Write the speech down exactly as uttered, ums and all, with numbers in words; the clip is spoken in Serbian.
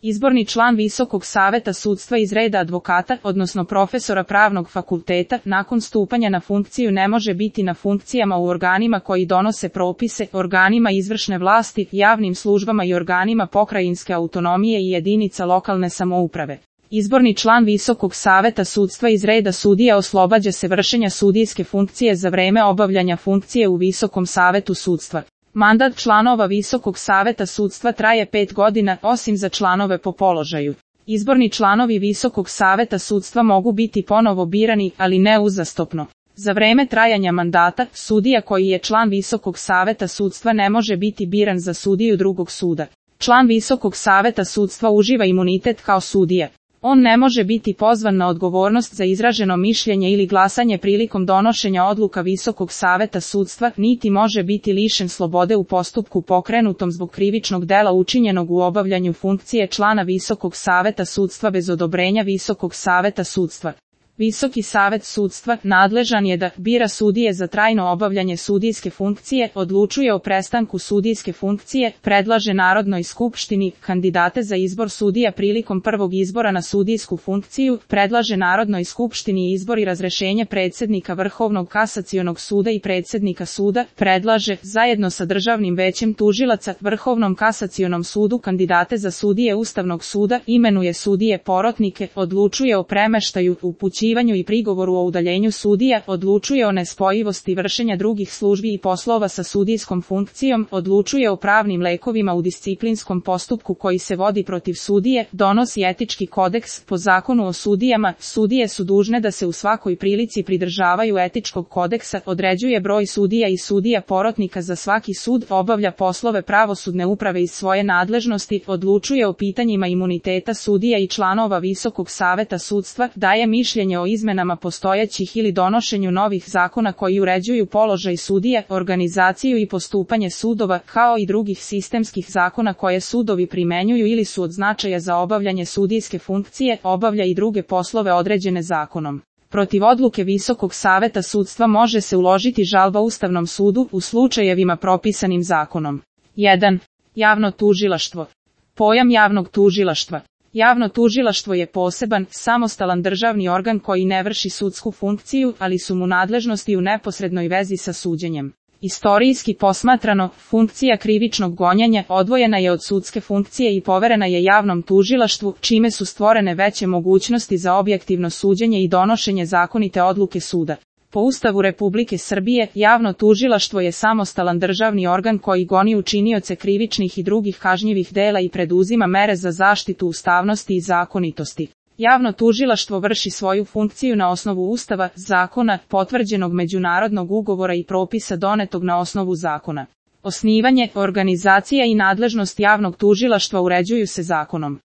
Izborni član Visokog saveta sudstva iz reda advokata, odnosno profesora pravnog fakulteta, nakon stupanja na funkciju ne može biti na funkcijama u organima koji donose propise, organima izvršne vlasti, javnim službama i organima pokrajinske autonomije i jedinica lokalne samouprave. Izborni član Visokog saveta sudstva iz reda sudija oslobađa se vršenja sudijske funkcije za vreme obavljanja funkcije u Visokom savetu sudstva. Mandat članova Visokog saveta sudstva traje pet godina, osim za članove po položaju. Izborni članovi Visokog saveta sudstva mogu biti ponovo birani, ali ne uzastopno. Za vreme trajanja mandata, sudija koji je član Visokog saveta sudstva ne može biti biran za sudiju drugog suda. Član Visokog saveta sudstva uživa imunitet kao sudija. On ne može biti pozvan na odgovornost za izraženo mišljenje ili glasanje prilikom donošenja odluka Visokog saveta sudstva, niti može biti lišen slobode u postupku pokrenutom zbog krivičnog dela učinjenog u obavljanju funkcije člana Visokog saveta sudstva bez odobrenja Visokog saveta sudstva. Visoki savet sudstva nadležan je da bira sudije za trajno obavljanje sudijske funkcije, odlučuje o prestanku sudijske funkcije, predlaže Narodnoj skupštini kandidate za izbor sudija prilikom prvog izbora na sudijsku funkciju, predlaže Narodnoj skupštini izbor i razrešenje predsjednika Vrhovnog kasacionog suda i predsjednika suda, predlaže, zajedno sa Državnim većem tužilaca, Vrhovnom kasacionom sudu kandidate za sudije Ustavnog suda, imenuje sudije porotnike, odlučuje o premeštaju, upućivanju i prigovoru o udaljenju sudija, odlučuje o nespojivosti vršenja drugih službi i poslova sa sudijskom funkcijom, odlučuje o pravnim lekovima u disciplinskom postupku koji se vodi protiv sudije, donosi etički kodeks. Po zakonu o sudijama, sudije su dužne da se u svakoj prilici pridržavaju etičkog kodeksa, određuje broj sudija i sudija porotnika za svaki sud, obavlja poslove pravosudne uprave iz svoje nadležnosti, odlučuje o pitanjima imuniteta sudija i članova Visokog saveta sudstva, daje mišljenje o izmenama postojećih ili donošenju novih zakona koji uređuju položaj sudija, organizaciju i postupanje sudova, kao i drugih sistemskih zakona koje sudovi primenjuju ili su od značaja za obavljanje sudijske funkcije, obavlja i druge poslove određene zakonom. Protiv odluke Visokog saveta sudstva može se uložiti žalba Ustavnom sudu u slučajevima propisanim zakonom. jedan. Javno tužilaštvo. Pojam javnog tužilaštva. Javno tužilaštvo je poseban, samostalan državni organ koji ne vrši sudsku funkciju, ali su mu nadležnosti u neposrednoj vezi sa suđenjem. Istorijski posmatrano, funkcija krivičnog gonjenja odvojena je od sudske funkcije i poverena je javnom tužilaštvu, čime su stvorene veće mogućnosti za objektivno suđenje i donošenje zakonite odluke suda. Po Ustavu Republike Srbije, javno tužilaštvo je samostalan državni organ koji goni učinioce krivičnih i drugih kažnjivih dela i preduzima mere za zaštitu ustavnosti i zakonitosti. Javno tužilaštvo vrši svoju funkciju na osnovu Ustava, zakona, potvrđenog međunarodnog ugovora i propisa donetog na osnovu zakona. Osnivanje, organizacija i nadležnost javnog tužilaštva uređuju se zakonom.